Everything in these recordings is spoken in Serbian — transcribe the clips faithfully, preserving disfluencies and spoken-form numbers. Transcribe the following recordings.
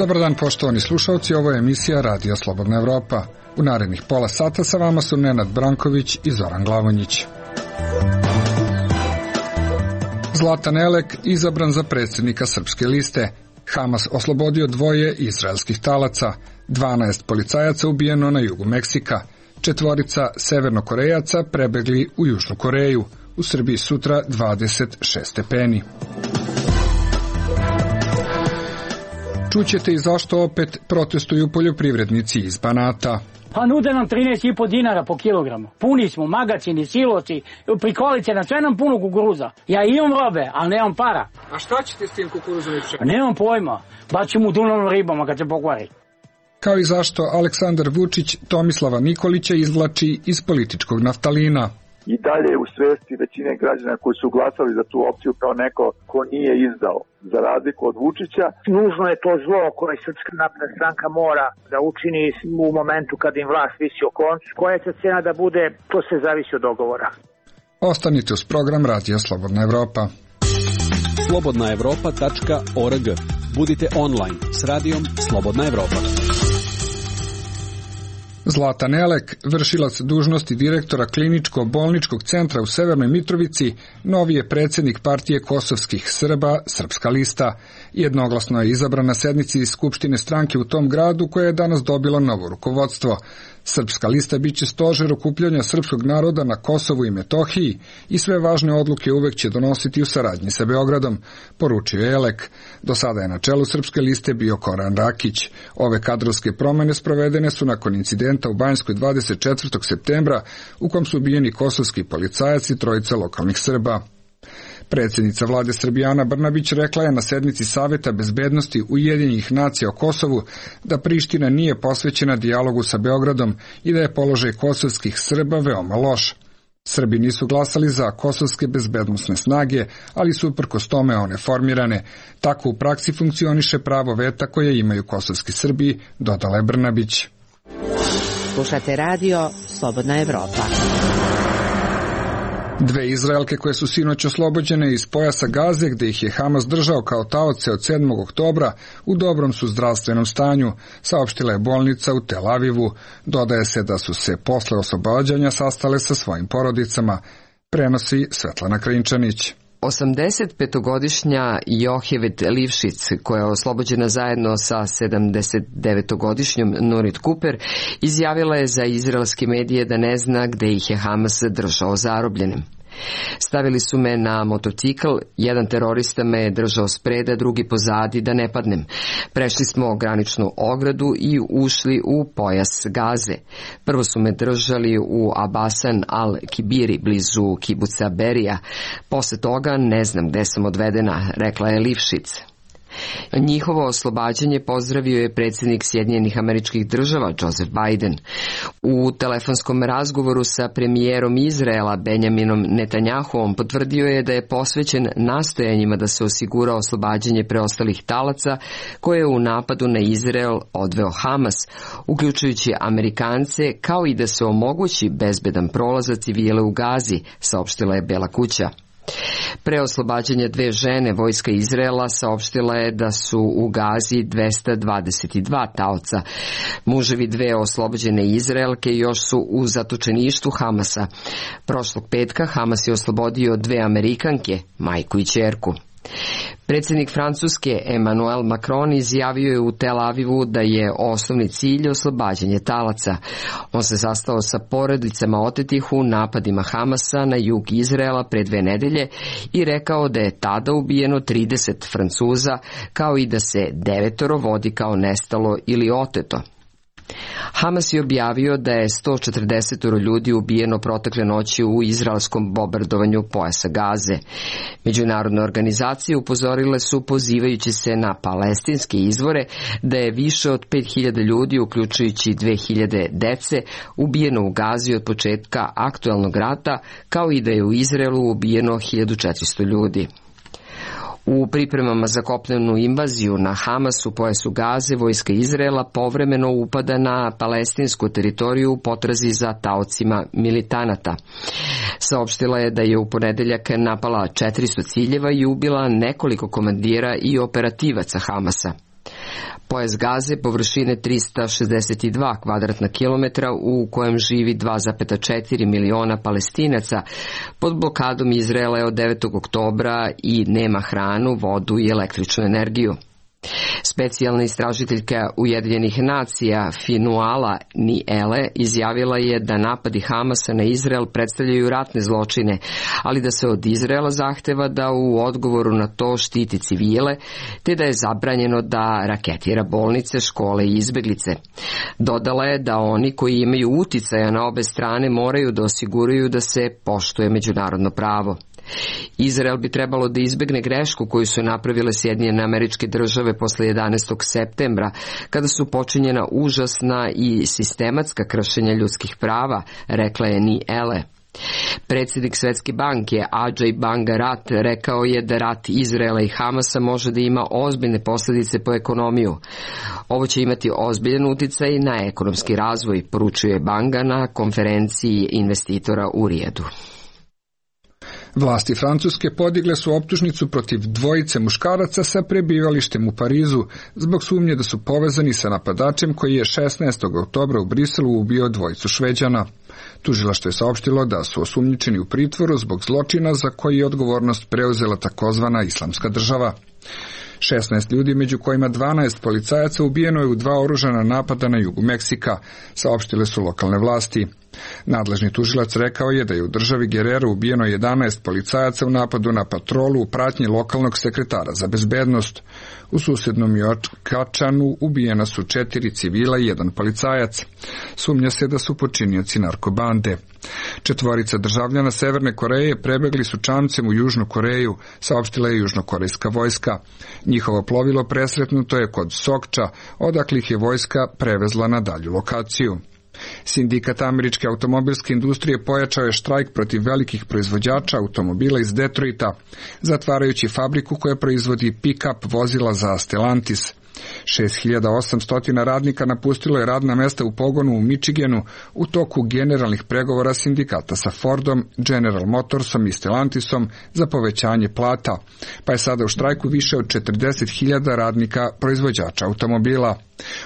Dobar dan poštovani slušalci, ovo je emisija Radio Slobodna Evropa. U narednih pola sata sa vama su Nenad Branković i Zoran Glavonjić. Zlatan Elek izabran za predsjednika Srpske liste. Hamas oslobodio dvoje izraelskih talaca. dvanaest policajaca ubijeno na jugu Meksika. Četvorica severnokorejaca prebegli u Južnu Koreju. U Srbiji sutra dvadeset šest stepeni. Čućete i zašto opet protestuju poljoprivrednici iz Banata. Pa nude nam trinaest i po dinara po kilogramu. Puni smo, magacini, siloci, prikolice, na sve nam puno kukuruza. Ja imam robe, ali nemam para. A šta ćete s tim kukuruzom i pšenicom? Nemam pojma. Baću mu dunovnom ribama kad se pokvari. Kao i zašto Aleksandar Vučić Tomislava Nikolića izvlači iz političkog naftalina. I dalje u svesti većine građana koji su glasali za tu opciju kao neko ko nije izdao, za razliku od Vučića. Nužno je to zlo koje Srpska napredna stranka mora da učini u momentu kad im vlast visi o koncu. Koja će cena da bude, to se zavisi od dogovora. Ostanite uz program Radija Slobodna Evropa. slobodna evropa tačka org. Budite online s radijom Slobodna Evropa. Zlatan Elek, vršilac dužnosti direktora kliničko-bolničkog centra u Severnoj Mitrovici, novi je predsjednik partije kosovskih Srba Srpska lista. Jednoglasno je izabran na sednici Skupštine stranke u tom gradu koja je danas dobila novo rukovodstvo. Srpska lista biće stožer okupljanja srpskog naroda na Kosovu i Metohiji i sve važne odluke uvek će donositi u saradnji sa Beogradom, poručio je Elek. Do sada je na čelu Srpske liste bio Koran Rakić. Ove kadrovske promene sprovedene su nakon incidenta u Banjskoj dvadeset četvrtog septembra u kom su ubijeni kosovski policajac i trojica lokalnih Srba. Predsjednica vlade Srbije Ana Brnabić rekla je na sednici Saveta bezbednosti Ujedinjenih nacija o Kosovu da Priština nije posvećena dijalogu sa Beogradom i da je položaj kosovskih Srba veoma loš. Srbi nisu glasali za kosovske bezbednosne snage, ali su uprkos tome one formirane. Tako u praksi funkcioniše pravo veta koje imaju kosovski Srbi, dodala je Brnabić. Slušate radio Slobodna Evropa. Dve Izraelke koje su sinoć oslobođene iz pojasa Gaze, gde ih je Hamas držao kao taoce od sedmog oktobra, u dobrom su zdravstvenom stanju, saopštila je bolnica u Tel Avivu. Dodaje se da su se posle oslobađanja sastale sa svojim porodicama. Prenosi Svetlana Krinčanić. osamdesetpetogodišnja Johevet Livšic, koja je oslobođena zajedno sa sedamdesetdevetogodišnjom Nurit Kuper, izjavila je za izraelske medije da ne zna gde ih je Hamas držao zarobljenim. Stavili su me na motocikl, jedan terorista me je držao spreda, drugi pozadi da ne padnem. Prešli smo graničnu ogradu i ušli u pojas Gaze. Prvo su me držali u Abasan al-Kibiri, blizu kibuca Berija. Posle toga ne znam gde sam odvedena, rekla je Livšic. Njihovo oslobađanje pozdravio je predsjednik Sjedinjenih Američkih Država Joseph Biden. U telefonskom razgovoru sa premijerom Izraela Benjaminom Netanjahuom potvrdio je da je posvećen nastojanjima da se osigura oslobađanje preostalih talaca koje je u napadu na Izrael odveo Hamas, uključujući Amerikance, kao i da se omogući bezbedan prolaz za civile u Gazi, saopštila je Bela kuća. Pre oslobađanja dve žene, vojska Izraela saopštila je da su u Gazi dvesta dvadeset dva taoca. Muževi dve oslobođene Izraelke još su u zatočeništvu Hamasa. Prošlog petka Hamas je oslobodio dve Amerikanke, majku i ćerku. Predsjednik Francuske Emmanuel Macron izjavio je u Tel Avivu da je osnovni cilj oslobađanje talaca. On se sastao sa porodicama otetih u napadima Hamasa na jug Izraela pre dve nedelje i rekao da je tada ubijeno trideset Francuza, kao i da se devetoro vodi kao nestalo ili oteto. Hamas je objavio da je sto četrdeset ljudi ubijeno protekle noći u izraelskom bombardovanju pojasa Gaze. Međunarodne organizacije upozorile su, pozivajući se na palestinske izvore, da je više od pet hiljada ljudi, uključujući dve hiljade dece, ubijeno u Gazi od početka aktuelnog rata, kao i da je u Izraelu ubijeno hiljadu četiristo ljudi. U pripremama za kopnenu invaziju na Hamas u pojasu Gaze, vojska Izraela povremeno upada na palestinsku teritoriju u potrazi za taocima militanata. Saopštila je da je u ponedeljak napala četiristo ciljeva i ubila nekoliko komandira i operativaca Hamasa. Pojas Gaze površine trista šezdeset dva kvadratna kilometra u kojem živi dva zarez četiri miliona Palestinaca pod blokadom Izraela je od devetog oktobra i nema hranu, vodu i električnu energiju. Specijalna istražiteljka Ujedinjenih nacija Finuala Niele izjavila je da napadi Hamasa na Izrael predstavljaju ratne zločine, ali da se od Izraela zahteva da u odgovoru na to štiti civile, te da je zabranjeno da raketira bolnice, škole i izbeglice. Dodala je da oni koji imaju uticaja na obe strane moraju da osiguraju da se poštuje međunarodno pravo. Izrael bi trebalo da izbegne grešku koju su napravile Sjedinjene Američke Države posle jedanaestog septembra, kada su počinjena užasna i sistematska kršenja ljudskih prava, rekla je Niele. Predsjednik Svetske banke Ajay Banga Rat rekao je da rat Izraela i Hamasa može da ima ozbiljne posljedice po ekonomiju. Ovo će imati ozbiljan uticaj na ekonomski razvoj, poručuje Banga na konferenciji investitora u Rijedu. Vlasti Francuske podigle su optužnicu protiv dvojice muškaraca sa prebivalištem u Parizu zbog sumnje da su povezani sa napadačem koji je šesnaestog oktobra u Briselu ubio dvojicu Šveđana. Tužilaštvo je saopštilo da su osumnjičeni u pritvoru zbog zločina za koji je odgovornost preuzela takozvana Islamska država. šesnaest ljudi, među kojima dvanaest policajaca, ubijeno je u dva oružana napada na jugu Meksika, saopštile su lokalne vlasti. Nadležni tužilac rekao je da je u državi Guerrero ubijeno jedanaest policajaca u napadu na patrolu u pratnji lokalnog sekretara za bezbednost. U susednom Jokačanu ubijena su četiri civila i jedan policajac. Sumnja se da su počinioci narkobande. Četvorica državljana Severne Koreje prebegli su čamcem u Južnu Koreju, saopštila je južnokorejska vojska. Njihovo plovilo presretnuto je kod Sokča, odakle ih je vojska prevezla na dalju lokaciju. Sindikat američke automobilske industrije pojačao je štrajk protiv velikih proizvođača automobila iz Detroita, zatvarajući fabriku koja proizvodi pick-up vozila za Stellantis. šest hiljada osamsto radnika napustilo je radna mesta u pogonu u Michiganu u toku generalnih pregovora sindikata sa Fordom, General Motorsom i Stellantisom za povećanje plata, pa je sada u štrajku više od četrdeset hiljada radnika proizvođača automobila.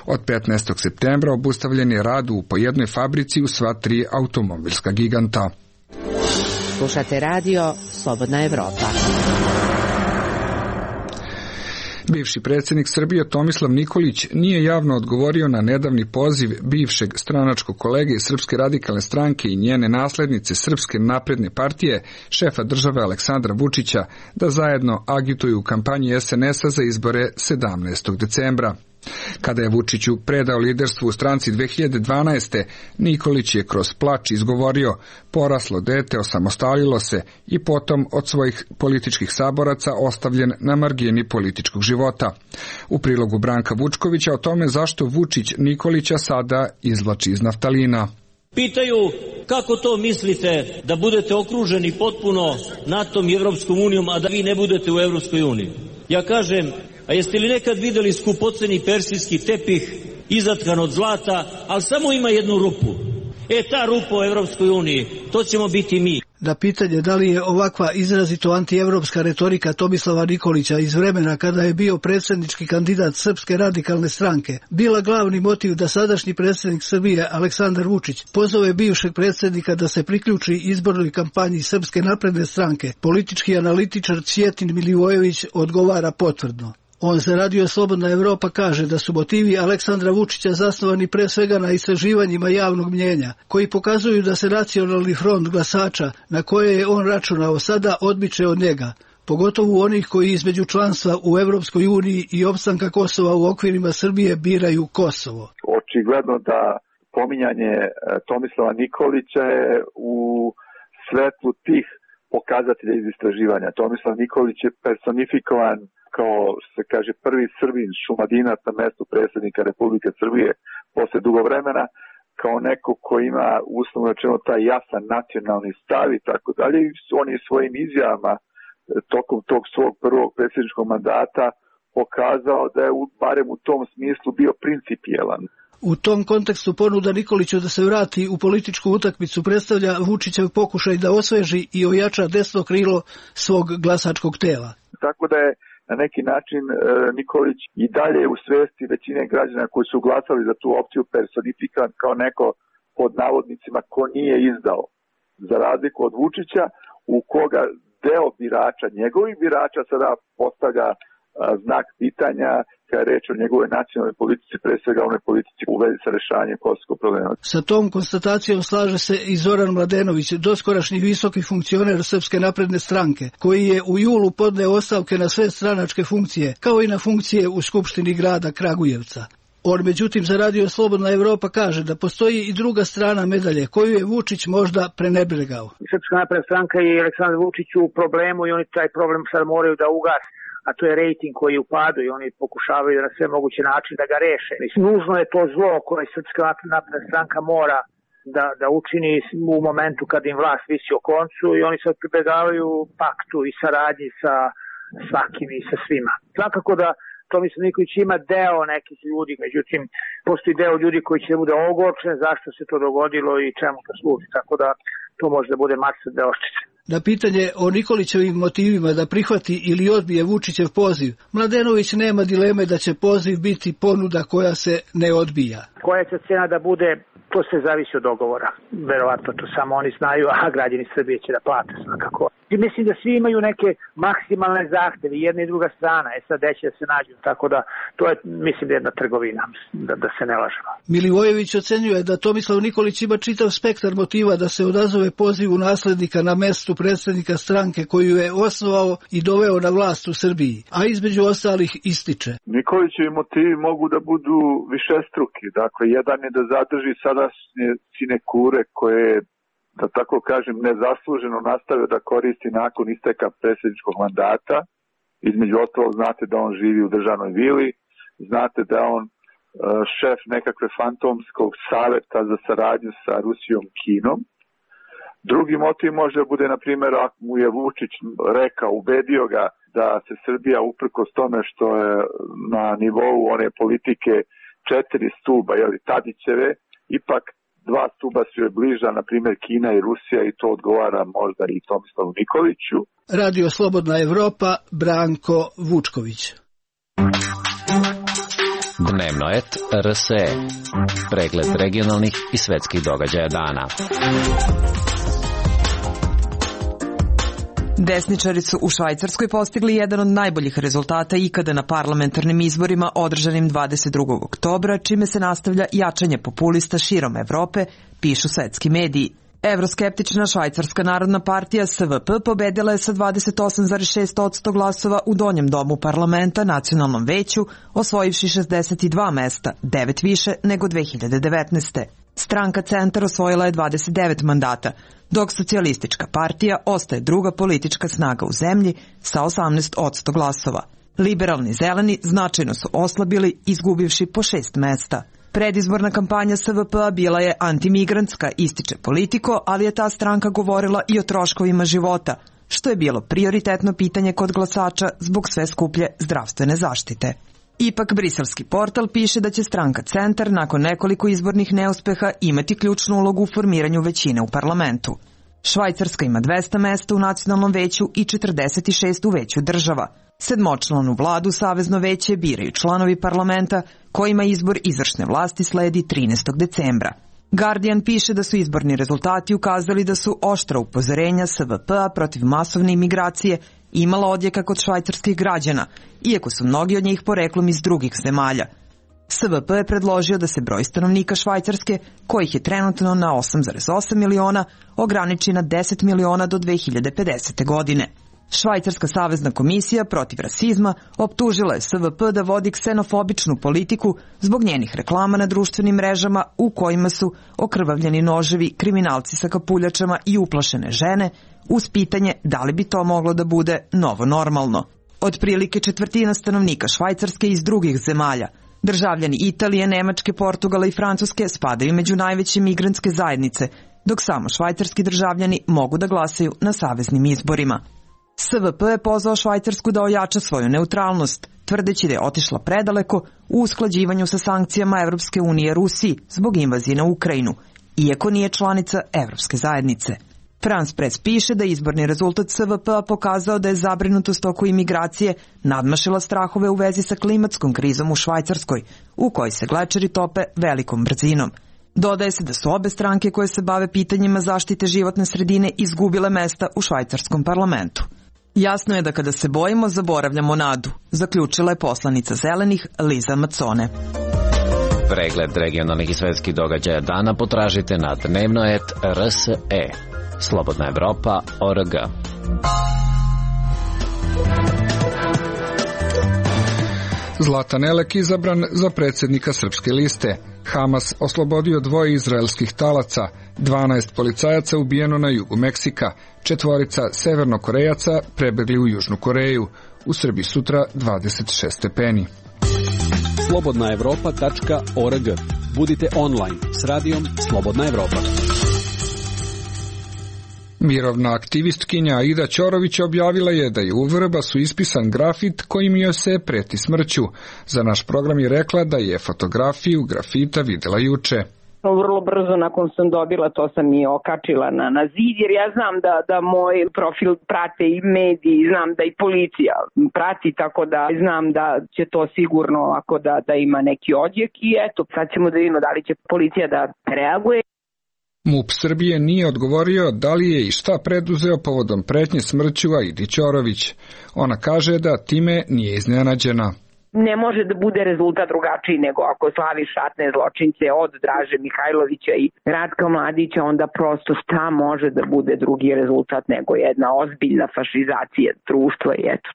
Od petnaestog septembra obustavljen je rad u po jednoj fabrici u sva tri automobilska giganta. Slušate radio Slobodna Evropa. Bivši predsjednik Srbije Tomislav Nikolić nije javno odgovorio na nedavni poziv bivšeg stranačkog kolege iz Srpske radikalne stranke i njene naslednice Srpske napredne partije, šefa države Aleksandra Vučića, da zajedno agituju u kampanji es en es a za izbore sedamnaestog decembra. Kada je Vučiću predao liderstvo u stranci dve hiljade dvanaeste. Nikolić je kroz plač izgovorio: poraslo dete, osamostalilo se i potom od svojih političkih saboraca ostavljen na margini političkog života. U prilogu Branka Vučkovića o tome zašto Vučić Nikolića sada izvlači iz naftalina. Pitaju kako to mislite da budete okruženi potpuno NATO-om i Evropskom unijom, a da vi ne budete u Evropskoj uniji. Ja kažem, a jeste li nekad vidjeli skupoceni persijski tepih izatkan od zlata, ali samo ima jednu rupu. E, ta rupa u Evropskoj uniji, to ćemo biti mi. Na pitanje da li je ovakva izrazito antievropska retorika Tomislava Nikolića iz vremena kada je bio predsjednički kandidat Srpske radikalne stranke bila glavni motiv da sadašnji predsjednik Srbije Aleksandar Vučić pozove bivšeg predsjednika da se priključi izbornoj kampanji Srpske napredne stranke, politički analitičar Cvjetin Milivojević odgovara potvrdno. On za Radio Slobodna Evropa kaže da su motivi Aleksandra Vučića zasnovani pre svega na istraživanjima javnog mnjenja, koji pokazuju da se nacionalni front glasača na koje je on računao sada odmiče od njega, pogotovo onih koji između članstva u Evropskoj uniji i opstanka Kosova u okvirima Srbije biraju Kosovo. Očigledno da pominjanje Tomislava Nikolića je u svetlu tih pokazatelja iz istraživanja. Tomislav Nikolić je personifikovan kao, se kaže, prvi Srbin Šumadinac na mestu predsjednika Republike Srbije posle dugo vremena, kao neko ko ima uslovno rečeno taj jasan nacionalni stav i tako dalje. On je svojim izjavama tokom tog svog prvog predsjedničkog mandata pokazao da je barem u tom smislu bio principijelan. U tom kontekstu ponuda Nikoliću da se vrati u političku utakmicu predstavlja Vučićev pokušaj da osveži i ojača desno krilo svog glasačkog tela. Tako da je na neki način e, Nikolić i dalje u svesti većine građana koji su glasali za tu opciju personifikan kao neko pod navodnicima ko nije izdao, za razliku od Vučića u koga deo birača, njegovih birača sada postavlja a, znak pitanja kada je reč o njegove nacionalnoj politici, pre svega onoj politici u vezi sa rešavanjem kosovskog problema. Sa tom konstatacijom slaže se i Zoran Mladenović, doskorašnji visoki funkcioner Srpske napredne stranke, koji je u julu podneo ostavke na sve stranačke funkcije, kao i na funkcije u Skupštini grada Kragujevca. On međutim za Radio Slobodna Evropa kaže da postoji i druga strana medalje koju je Vučić možda prenebregao. Srpska napredna stranka i Aleksandar Vučić u problemu i oni taj problem sad moraju da ugase, a to je rejting koji je u padu i oni pokušavaju na sve moguće načine da ga reše. Mislim, nužno je to zlo koje Srpska napredna stranka mora da, da učini u momentu kad im vlast visi o koncu i oni sad pribegavaju paktu i saradnji sa svakim i sa svima. Svakako da Tomislav Nikolić ima deo nekih ljudi, međutim, postoji deo ljudi koji će bude ogorčen zašto se to dogodilo i čemu to služi, tako da to može da bude masa deoščice. Na pitanje o Nikolićevim motivima da prihvati ili odbije Vučićev poziv, Mladenović nema dileme da će poziv biti ponuda koja se ne odbija. Koja će cena da bude, to se zavisi od dogovora. Verovatno to samo oni znaju, a građani Srbije će da plate svakako. I mislim da svi imaju neke maksimalne zahteve, jedna i druga strana, e sad gde će da se nađu, tako da to je, mislim, jedna trgovina, da, da se ne lažemo. Milivojević ocenjuje da Tomislav Nikolić ima čitav spektar motiva da se odazove pozivu naslednika na mestu predsjednika stranke koju je osnovao i doveo na vlast u Srbiji, a između ostalih ističe. Nikolićevi motivi mogu da budu višestruki, dakle, jedan je da zadrži sadašnje sinekure koje, da tako kažem, nezasluženo nastavio da koristi nakon isteka predsjedničkog mandata. Između ostalog, znate da on živi u državnoj vili, znate da je on šef nekakve fantomskog saveta za saradnju sa Rusijom, Kinom. Drugi motiv može da bude, na primjer, ako mu je Vučić rekao, ubedio ga da se Srbija uprkos tome što je na nivou one politike četiri stuba, jeli, Tadićeve, ipak dva stuba su joj bliža, na primjer Kina i Rusija, i to odgovara možda i Tomislavu Nikoliću. Radio Slobodna Evropa, Branko Vučković. Dnevno et R S E. Pregled regionalnih i svetskih događaja dana. Desničari su u Švajcarskoj postigli jedan od najboljih rezultata ikada na parlamentarnim izborima održanim dvadeset drugog oktobra, čime se nastavlja jačanje populista širom Evrope, pišu svetski mediji. Evroskeptična Švajcarska narodna partija S V P pobedila je sa dvadeset osam zarez šest posto glasova u donjem domu parlamenta nacionalnom veću, osvojivši šezdeset dva mesta, devet više nego dve hiljade devetnaeste. Stranka Centar osvojila je dvadeset devet mandata, dok socijalistička partija ostaje druga politička snaga u zemlji sa osamnaest posto glasova. Liberalni zeleni značajno su oslabili, izgubivši po šest mesta. Predizborna kampanja S V P-a bila je antimigrantska, ističe Politiko, ali je ta stranka govorila i o troškovima života, što je bilo prioritetno pitanje kod glasača zbog sve skuplje zdravstvene zaštite. Ipak briselski portal piše da će stranka Centar nakon nekoliko izbornih neuspeha imati ključnu ulogu u formiranju većine u parlamentu. Švajcarska ima dvesta mesta u nacionalnom veću i četrdeset šest u veću država. Sedmočlanu vladu Savezno veće biraju članovi parlamenta kojima izbor izvršne vlasti sledi trinaestog decembra. Guardian piše da su izborni rezultati ukazali da su oštra upozorenja S V P-a protiv masovne imigracije imala odjeka kod švajcarskih građana, iako su mnogi od njih poreklom iz drugih zemalja. S V P je predložio da se broj stanovnika Švajcarske, kojih je trenutno na osam zarez osam miliona, ograniči na deset miliona do dve hiljade pedesete. godine. Švajcarska savezna komisija protiv rasizma optužila je S V P da vodi ksenofobičnu politiku zbog njenih reklama na društvenim mrežama u kojima su okrvavljeni noževi, kriminalci sa kapuljačama i uplašene žene, uz pitanje da li bi to moglo da bude novo normalno. Otprilike četvrtina stanovnika Švajcarske iz drugih zemalja, državljani Italije, Nemačke, Portugala i Francuske spadaju među najveće migrantske zajednice, dok samo švajcarski državljani mogu da glasaju na saveznim izborima. S V P je pozvao Švajcarsku da ojača svoju neutralnost, tvrdeći da je otišla predaleko u usklađivanju sa sankcijama Evropske unije Rusiji zbog invazije na Ukrajinu, iako nije članica Evropske zajednice. France Press piše da izborni rezultat S V P-a pokazao da je zabrinutost oko imigracije nadmašila strahove u vezi sa klimatskom krizom u Švajcarskoj, u kojoj se glečeri tope velikom brzinom. Dodaje se da su obe stranke koje se bave pitanjima zaštite životne sredine izgubile mesta u švajcarskom parlamentu. Jasno je da kada se bojimo, zaboravljamo nadu, zaključila je poslanica Zelenih Liza Macone. Pregled regionalnih i svetskih događaja dana potražite na dnevno et er s e. Slobodna Evropa точка о эр гэ. Zlatan Elek izabran za predsjednika Srpske liste. Hamas oslobodio dvoje izraelskih talaca, dvanaest policajaca ubijeno na jugu Meksika, četvorica severnokorejaca prebegli u Južnu Koreju. U Srbiji sutra dvadeset šest stepeni. Slobodna Evropa точка о эр гэ. Budite online s radijom Slobodna Evropa. Mirovna aktivistkinja Aida Ćorović objavila je da je u Vrbasu ispisan grafit kojim joj se preti smrću. Za naš program je rekla da je fotografiju grafita videla juče. Vrlo brzo nakon sam dobila, to sam i okačila na, na zid, jer ja znam da, da moj profil prate i mediji, znam da i policija prati, tako da znam da će to sigurno ako da, da ima neki odjek i eto, sad ćemo da vidimo da li će policija da reaguje. MUP Srbije nije odgovorio da li je i šta preduzeo povodom pretnje smrću Aidi Ćorović. Ona kaže da time nije iznenađena. Ne može da bude rezultat drugačiji nego ako slaviš ratne zločince od Draže Mihajlovića i Ratka Mladića, onda prosto šta može da bude drugi rezultat nego jedna ozbiljna fašizacija društva i eto.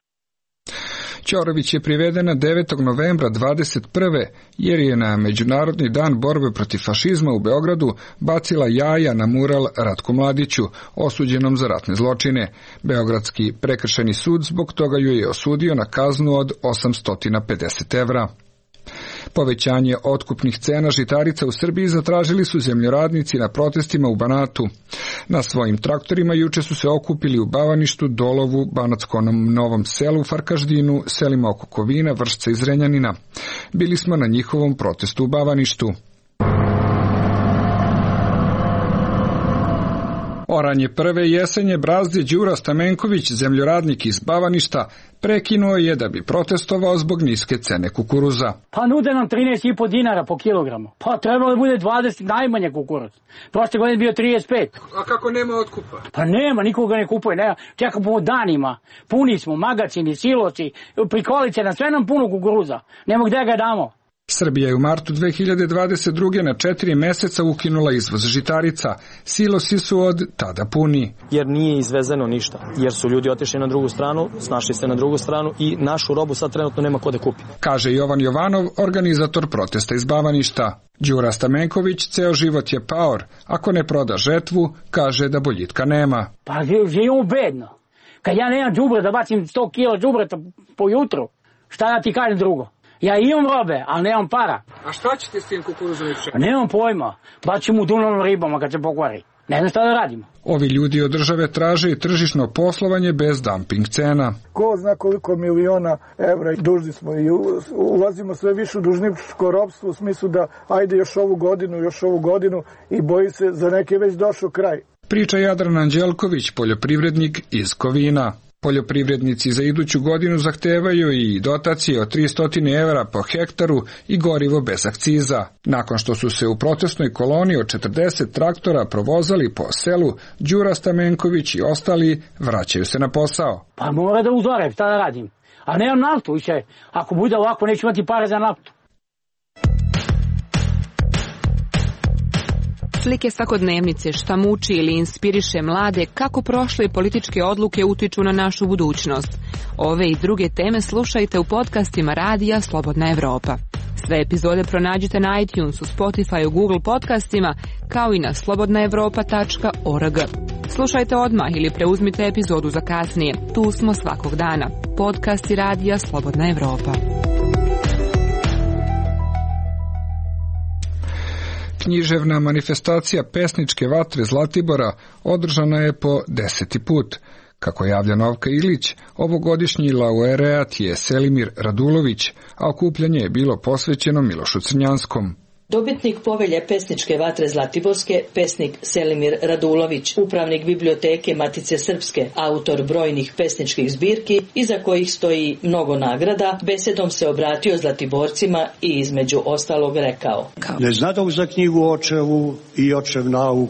Ćorović je privedena devetog novembra dvadeset prve jer je na Međunarodni dan borbe protiv fašizma u Beogradu bacila jaja na mural Ratku Mladiću, osuđenom za ratne zločine. Beogradski prekršajni sud zbog toga ju je osudio na kaznu od osamsto pedeset evra. Povećanje otkupnih cena žitarica u Srbiji zatražili su zemljoradnici na protestima u Banatu. Na svojim traktorima juče su se okupili u Bavaništu, Dolovu, Banatskom Novom Selu, Farkaždinu, selima oko Kovina, Vršca i Zrenjanina. Bili smo na njihovom protestu u Bavaništu. Oranje prve jesenje brazde Đura Stamenković, zemljoradnik iz Bavaništa, prekinuo je da bi protestovao zbog niske cene kukuruza. Pa nude nam trinaest i po dinara po kilogramu. Pa trebalo da bude dvadeset najmanje kukuruz. Prošle godine bio trideset pet. A kako nema otkupa? Pa nema, nikoga ne kupuje. Nema. Čekamo danima. Puni smo, magacini, siloci, prikolice, na sve nam puno kukuruza. Nemo gde ga damo. Srbija je u martu dve hiljade dvadeset druge na četiri meseca ukinula izvoz žitarica. Silosi su od tada puni. Jer nije izvezeno ništa. Jer su ljudi otišli na drugu stranu, snašli se na drugu stranu i našu robu sad trenutno nema ko da kupi. Kaže Jovan Jovanov, organizator protesta iz Bavaništa. Đura Stamenković ceo život je paor. Ako ne proda žetvu, kaže da boljitka nema. Pa živimo bedno. Kad ja nemam đubre da bacim sto kila đubreta po jutru, šta da ti kažem drugo? Ja imam robe, ali nemam para. A šta ćete s tim kukuruzom i pšenicom? Nemam pojma. Bacim u dunavnom ribama kad se pokvari. Ne znam šta da radimo. Ovi ljudi od države traže i tržišno poslovanje bez dumping cena. Ko zna koliko miliona evra dužni smo i ulazimo sve više u dužničko ropstvo u smislu da ajde još ovu godinu, još ovu godinu i boji se za neke već došao kraj. Priča Jadran Anđelković, poljoprivrednik iz Kovina. Poljoprivrednici za iduću godinu zahtevaju i dotacije od tristo evra po hektaru i gorivo bez akciza. Nakon što su se u protestnoj koloni od četrdeset traktora provozali po selu, Đura Stamenković i ostali vraćaju se na posao. Pa mora da uzorem, šta da radim? A nemam naftu više. Ako bude ovako, neću imati pare za naftu. Slike svakodnevnice, šta muči ili inspiriše mlade, kako prošle političke odluke utiču na našu budućnost. Ove i druge teme slušajte u podcastima radija Slobodna Evropa. Sve epizode pronađite na iTunesu, Spotifyu, Google podcastima, kao i na slobodna evropa tačka org. Slušajte odmah ili preuzmite epizodu za kasnije. Tu smo svakog dana. Podcasti radija Slobodna Evropa. Književna manifestacija pesničke vatre Zlatibora održana je po deseti put. Kako javlja Novka Ilić, ovogodišnji laureat je Selimir Radulović, a okupljanje je bilo posvećeno Milošu Crnjanskom. Dobitnik povelje pesničke vatre Zlatiborske, pesnik Selimir Radulović, upravnik biblioteke Matice Srpske, autor brojnih pesničkih zbirki iza kojih stoji mnogo nagrada, besedom se obratio Zlatiborcima i između ostalog rekao: Ne znadom za knjigu očevu i očev nauk,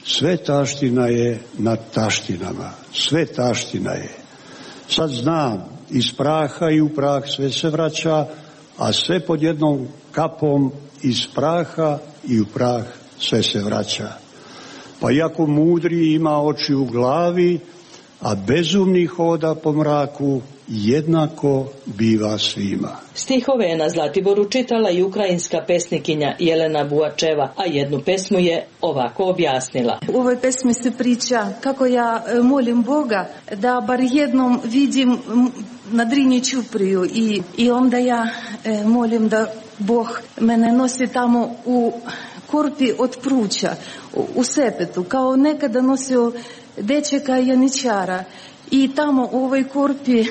sve taština je nad taštinama, sve taština je. Sad znam, iz praha i u prah sve se vraća, a sve pod jednom kapom iz praha i u prah sve se vraća. Pa iako mudri ima oči u glavi, a bezumni hoda po mraku, jednako biva svima. Stihove je na Zlatiboru čitala i ukrajinska pesnikinja Jelena Buačeva, a jednu pesmu je ovako objasnila. U ovoj pesmi se priča kako ja molim Boga da bar jednom vidim na Drini ćupriju i, i onda ja e, molim da Bog mene nosi tamo u korpi od pruća, u, u sepetu, kao nekada nosio dečeka janičara. I tamo u ovoj korpi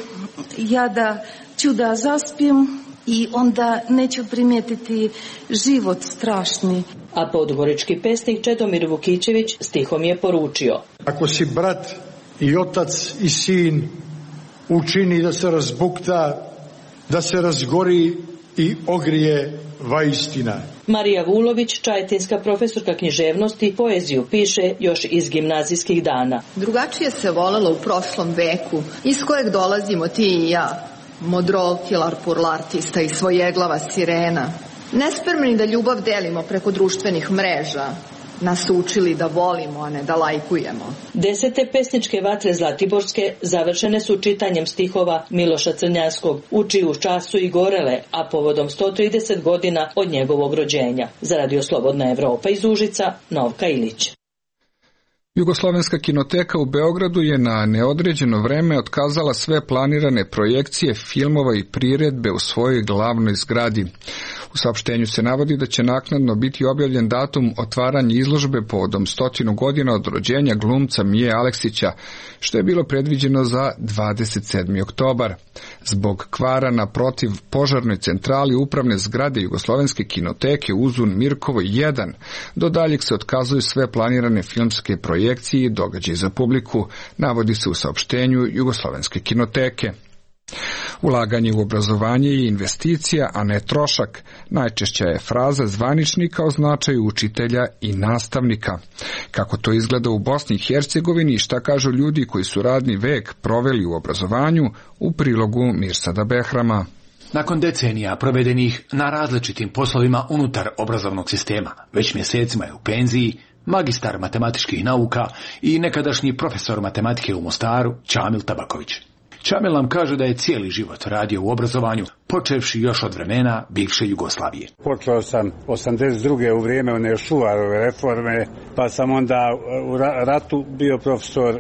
ja da ću da zaspim i onda neću primijetiti život strašni. A podgorički pesnik Čedomir Vukićević stihom je poručio: Ako si brat i otac i sin, učini da se razbukta, da se razgori i ogrije vaistina. Marija Vulović, čajetinska profesorka književnosti, poeziju piše još iz gimnazijskih dana. Drugačije se volelo u prošlom veku, iz kojeg dolazimo ti i ja, modrolki, larpurlartista i svojeglava sirena. Nespremni da ljubav delimo preko društvenih mreža, nas učili da volimo, a ne da lajkujemo. Desete pesničke vatre Zlatiborske završene su čitanjem stihova Miloša Crnjanskog, u čiju čast su i gorele, a povodom sto trideset godina od njegovog rođenja. Za Radio Slobodna Evropa iz Užica, Novka Ilić. Jugoslovenska kinoteka u Beogradu je na neodređeno vreme otkazala sve planirane projekcije filmova i priredbe u svojoj glavnoj zgradi. U saopštenju se navodi da će naknadno biti objavljen datum otvaranja izložbe povodom stotinu godina od rođenja glumca Mije Aleksića, što je bilo predviđeno za dvadeset sedmi oktobar. Zbog kvara na protiv požarnoj centrali upravne zgrade Jugoslovenske kinoteke Uzun Mirkovo jedan, do daljeg se otkazuju sve planirane filmske projekcije i događaje za publiku, navodi se u saopštenju Jugoslovenske kinoteke. Ulaganje u obrazovanje je investicija, a ne trošak. Najčešća je fraza zvaničnika o značaju učitelja i nastavnika. Kako to izgleda u Bosni i Hercegovini i šta kažu ljudi koji su radni vek proveli u obrazovanju, u prilogu Mirsada Behrama. Nakon decenija provedenih na različitim poslovima unutar obrazovnog sistema, već mjesecima je u penziji magistar matematičkih nauka i nekadašnji profesor matematike u Mostaru Čamil Tabaković. Čamil nam kaže da je cijeli život radio u obrazovanju, počevši još od vremena bivše Jugoslavije. Počeo sam osamdeset druge u vrijeme one Šuvarove reforme, pa sam onda u ratu bio profesor,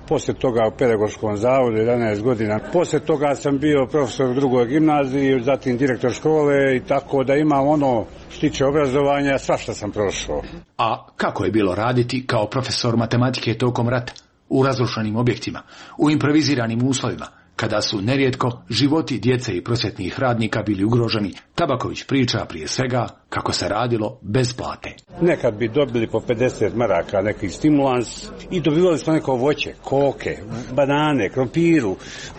poslije toga u pedagoškom zavodu jedanaest godina. Poslije toga sam bio profesor u drugoj gimnaziji, zatim direktor škole i tako da imam ono što tiče obrazovanja, svašta sam prošao. A kako je bilo raditi kao profesor matematike tokom rata? U razrušenim objektima, u improviziranim uslovima, kada su nerijetko životi djece i prosvjetnih radnika bili ugroženi, Tabaković priča prije svega kako se radilo bez plate. Nekad bi dobili po pedeset maraka neki stimulans i dobivali smo neko voće, koke, banane, krompiru,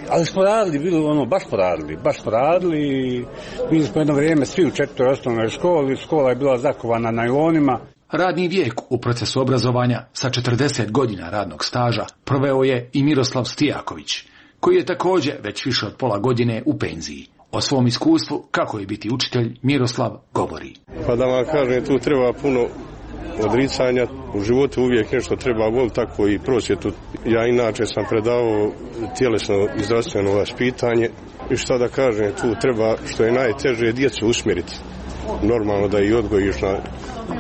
ali smo radili, bilo ono, baš poradili, baš poradili. Bili smo jedno vrijeme svi u četvrtoj osnovnoj školi, škola je bila zakovana najlonima. Radni vijek u procesu obrazovanja sa četrdeset godina radnog staža proveo je i Miroslav Stijaković, koji je također već više od pola godine u penziji. O svom iskustvu kako je biti učitelj Miroslav govori. Pa da vam kažem, tu treba puno odricanja, u životu uvijek nešto treba voliti, tako i prosvjetu. Ja inače sam predavao tjelesno i zdravstveno vaspitanje i šta da kažem, tu treba što je najteže djecu usmjeriti. Normalno da i odgojiš na,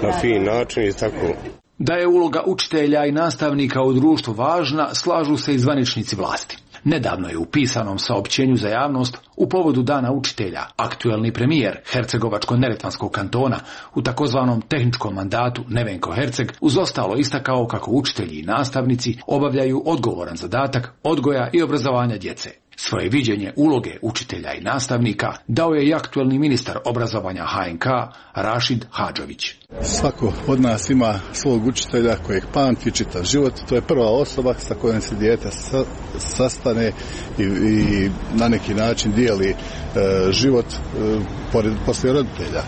na fin način i tako. Da je uloga učitelja i nastavnika u društvu važna, slažu se i zvaničnici vlasti. Nedavno je u pisanom saopćenju za javnost u povodu Dana učitelja aktuelni premijer Hercegovačko-neretvanskog kantona u takozvanom tehničkom mandatu Nevenko Herceg uz ostalo istakao kako učitelji i nastavnici obavljaju odgovoran zadatak odgoja i obrazovanja djece. Svoje viđenje uloge učitelja i nastavnika dao je i aktuelni ministar obrazovanja H N K Rašid Hadžović. Svako od nas ima svog učitelja kojeg pamti čitav život. To je prva osoba sa kojom se dijete sa, sastane i, i na neki način dijeli e, život e, pored, poslije roditelja.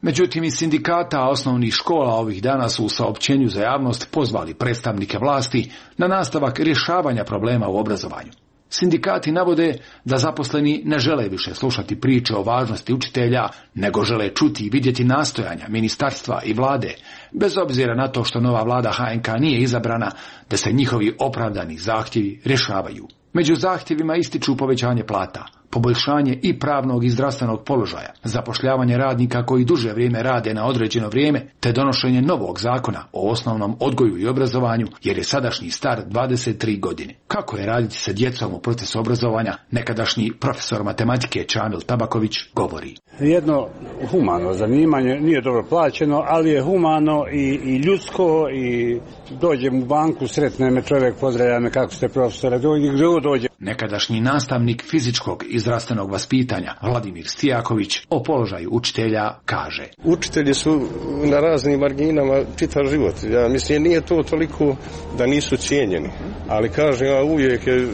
Međutim, iz sindikata osnovnih škola ovih dana su u saopćenju za javnost pozvali predstavnike vlasti na nastavak rješavanja problema u obrazovanju. Sindikati navode da zaposleni ne žele više slušati priče o važnosti učitelja, nego žele čuti i vidjeti nastojanja ministarstva i vlade, bez obzira na to što nova vlada H N K nije izabrana, da se njihovi opravdani zahtjevi rješavaju. Među zahtjevima ističu povećanje plata, poboljšanje i pravnog i zdravstvenog položaja, zapošljavanje radnika koji duže vrijeme rade na određeno vrijeme, te donošenje novog zakona o osnovnom odgoju i obrazovanju, jer je sadašnji star dvadeset tri godine. Kako je raditi sa djecom u procesu obrazovanja, nekadašnji profesor matematike Čamil Tabaković govori. Jedno humano zanimanje, nije dobro plaćeno, ali je humano i, i ljudsko, i dođem u banku, sretne me čovjek, pozdravlja me, kako ste profesore, dođe. Nekadašnji nastavnik fizičkog i zdravstvenog vaspitanja Vladimir Stijaković o položaju učitelja kaže: Učitelji su na raznim marginama čitav život. Ja mislim, nije to toliko da nisu cijenjeni, ali kažem, ja, uvijek je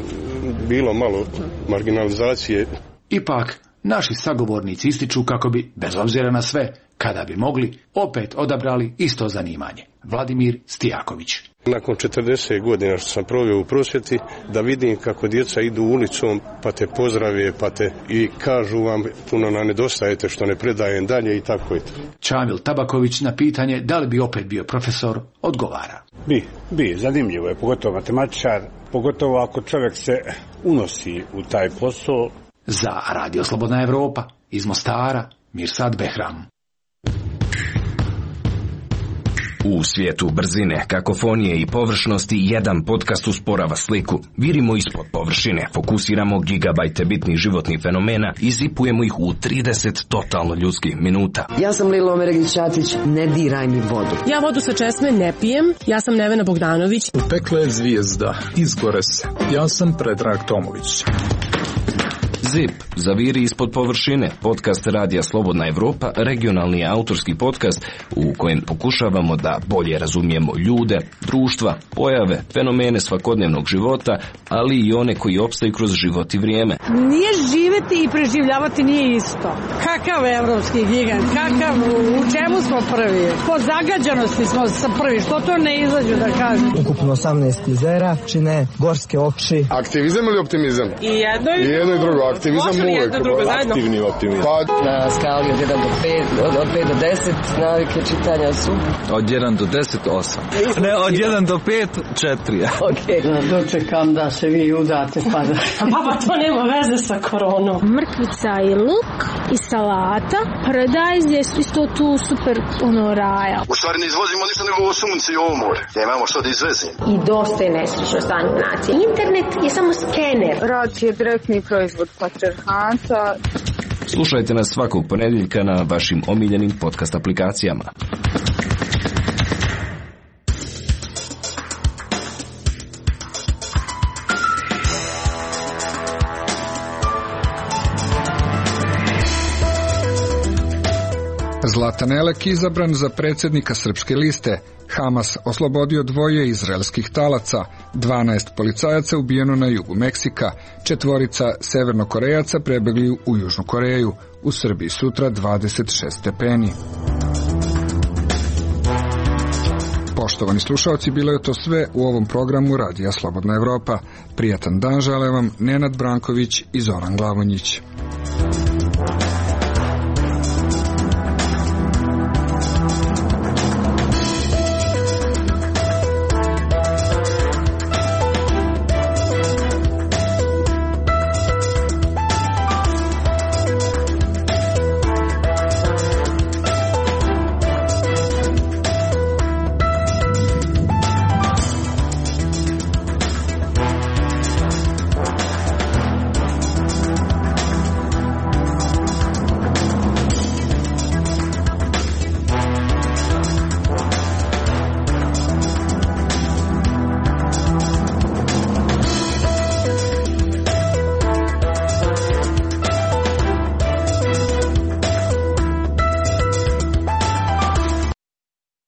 bilo malo marginalizacije. Ipak, naši sagovornici ističu kako bi, bez obzira na sve, kada bi mogli, opet odabrali isto zanimanje. Vladimir Stijaković. Nakon četrdeset godina što sam proveo u prosvjeti, da vidim kako djeca idu ulicom, pa te pozdrave, pa te i kažu vam puno nam nedostajete što ne predajem dalje i tako je to. Čamil Tabaković na pitanje da li bi opet bio profesor odgovara: Bi, bi, zanimljivo je, pogotovo matematičar, pogotovo ako čovjek se unosi u taj posao. Za Radio Slobodna Evropa, iz Mostara, Mirsad Behram. U svijetu brzine, kakofonije i površnosti jedan podcast usporava sliku. Virimo ispod površine, fokusiramo gigabajte bitnih životnih fenomena i zipujemo ih u trideset totalno ljudskih minuta. Ja sam Lilo Omeregić-Ćatić, ne diraj mi vodu. Ja vodu sa česme ne pijem, ja sam Nevena Bogdanović. U pekle zvijezda, izgore se. Ja sam Predrag Tomović. Zip, zaviri ispod površine, podcast Radija Slobodna Evropa, regionalni autorski podcast u kojem pokušavamo da bolje razumijemo ljude, društva, pojave, fenomene svakodnevnog života, ali i one koji opstaju kroz život i vrijeme. Nije živjeti i preživljavati nije isto. Kakav evropski gigant, kakav, u čemu smo prvi? Po zagađanosti smo sa prvi, što to ne izađu da kažu? Ukupno osamnaest jezera, čine gorske oči. Aktivizam ili optimizam? I jedno i, I jedno i drugo. Aktivizam uvijek, aktivni optimizam. Pa, na skali od jedan do pet, od, od pet do deset, navike čitanja su? Od jedan do deset, osam. Ne, od jedan do pet, četiri. Okej. Okay. Dočekam da se vi udate, pa da... Baba, to nema veze sa koronom. Mrkvica i luk i salata, paradajz je isto tu super, ono, raja. U stvari ne izvozimo ništa nego ovo sunce i ovo more. Ja imamo što da izvezim. I dosta je nesrećno stanje u naciji. Internet je samo skener. Rad je direktni proizvod patriarhata. Slušajte nas svakog ponedjeljka na vašim omiljenim podcast aplikacijama. Zlatan Elek izabran za predsjednika Srpske liste. Hamas oslobodio dvoje izraelskih talaca, dvanaest policajaca ubijeno na jugu Meksika, četvorica severnokorejaca prebegli u Južnu Koreju, u Srbiji sutra dvadeset šest stepeni. Poštovani slušalci, bilo je to sve u ovom programu Radija Slobodna Evropa. Prijatan dan žele vam Nenad Branković i Zoran Glavonjić.